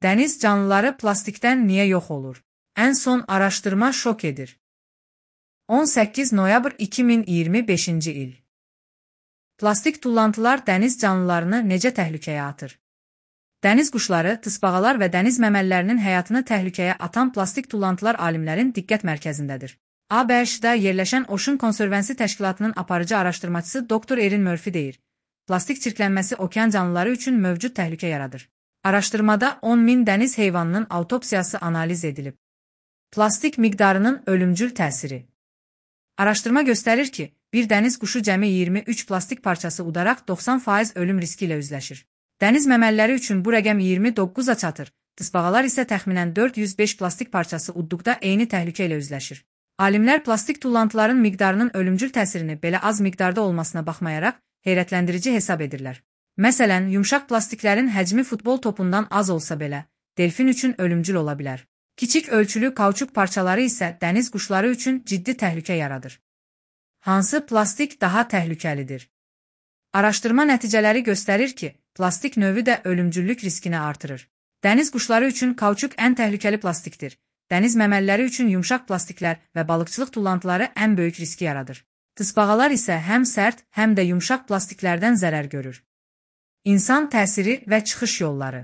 Dəniz canlıları plastikdən niyə yox olur? Ən son araşdırma şok edir. 18 noyabr 2025-ci il. Plastik tullantılar dəniz canlılarını necə təhlükəyə atır? Dəniz quşları, tısbağalar və dəniz məməllərinin həyatını təhlükəyə atan plastik tullantılar alimlərin diqqət mərkəzindədir. ABŞ-da yerləşən Ocean Conservancy təşkilatının aparıcı araşdırmacısı Dr. Erin Murphy deyir, plastik çirklənməsi okean canlıları üçün mövcud təhlükə yaradır. Araşdırmada 10.000 dəniz heyvanının autopsiyası analiz edilib. Plastik miqdarının ölümcül təsiri. Araşdırma göstərir ki, bir dəniz quşu cəmi 23 plastik parçası udaraq 90% ölüm riski ilə üzləşir. Dəniz məməlləri üçün bu rəqəm 29-a çatır, tısbağalar isə təxminən 405 plastik parçası udduqda eyni təhlükə ilə üzləşir. Alimlər plastik tullantıların miqdarının ölümcül təsirini belə az miqdarda olmasına baxmayaraq heyrətləndirici hesab edirlər. Məsələn, yumşaq plastiklərin həcmi futbol topundan az olsa belə, delfin üçün ölümcül ola bilər. Kiçik ölçülü kauçuk parçaları isə dəniz quşları üçün ciddi təhlükə yaradır. Hansı plastik daha təhlükəlidir? Araşdırma nəticələri göstərir ki, plastik növü də ölümcüllük riskini artırır. Dəniz quşları üçün kauçuk ən təhlükəli plastikdir. Dəniz məməlləri üçün yumşaq plastiklər və balıqçılıq tullantıları ən böyük riski yaradır. Tısbağalar isə həm sərt, həm də yumşaq plastiklərdən zərər görür. İnsan təsiri və çıxış yolları.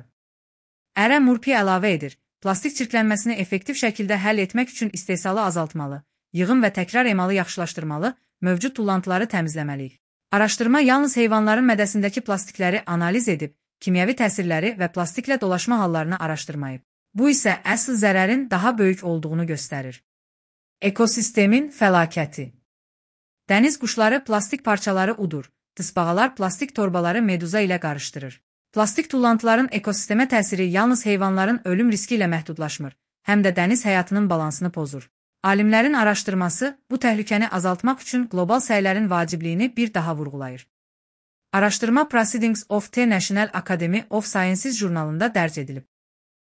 Ərə Murphy əlavə edir, plastik çirklənməsini effektiv şəkildə həll etmək üçün istehsalı azaltmalı, yığım və təkrar emalı yaxşılaşdırmalı, mövcud tullantıları təmizləməliyik. Araşdırma yalnız heyvanların mədəsindəki plastikləri analiz edib, kimyəvi təsirləri və plastiklə dolaşma hallarını araşdırmayıb. Bu isə əsl zərərin daha böyük olduğunu göstərir. Ekosistemin fəlakəti. Dəniz quşları plastik parçaları udur, tısbağalar plastik torbaları meduza ilə qarışdırır. Plastik tullantıların ekosistemə təsiri yalnız heyvanların ölüm riski ilə məhdudlaşmır, həm də dəniz həyatının balansını pozur. Alimlərin araşdırması bu təhlükəni azaltmaq üçün qlobal səylərin vacibliyini bir daha vurğulayır. Araşdırma Proceedings of the National Academy of Sciences jurnalında dərc edilib.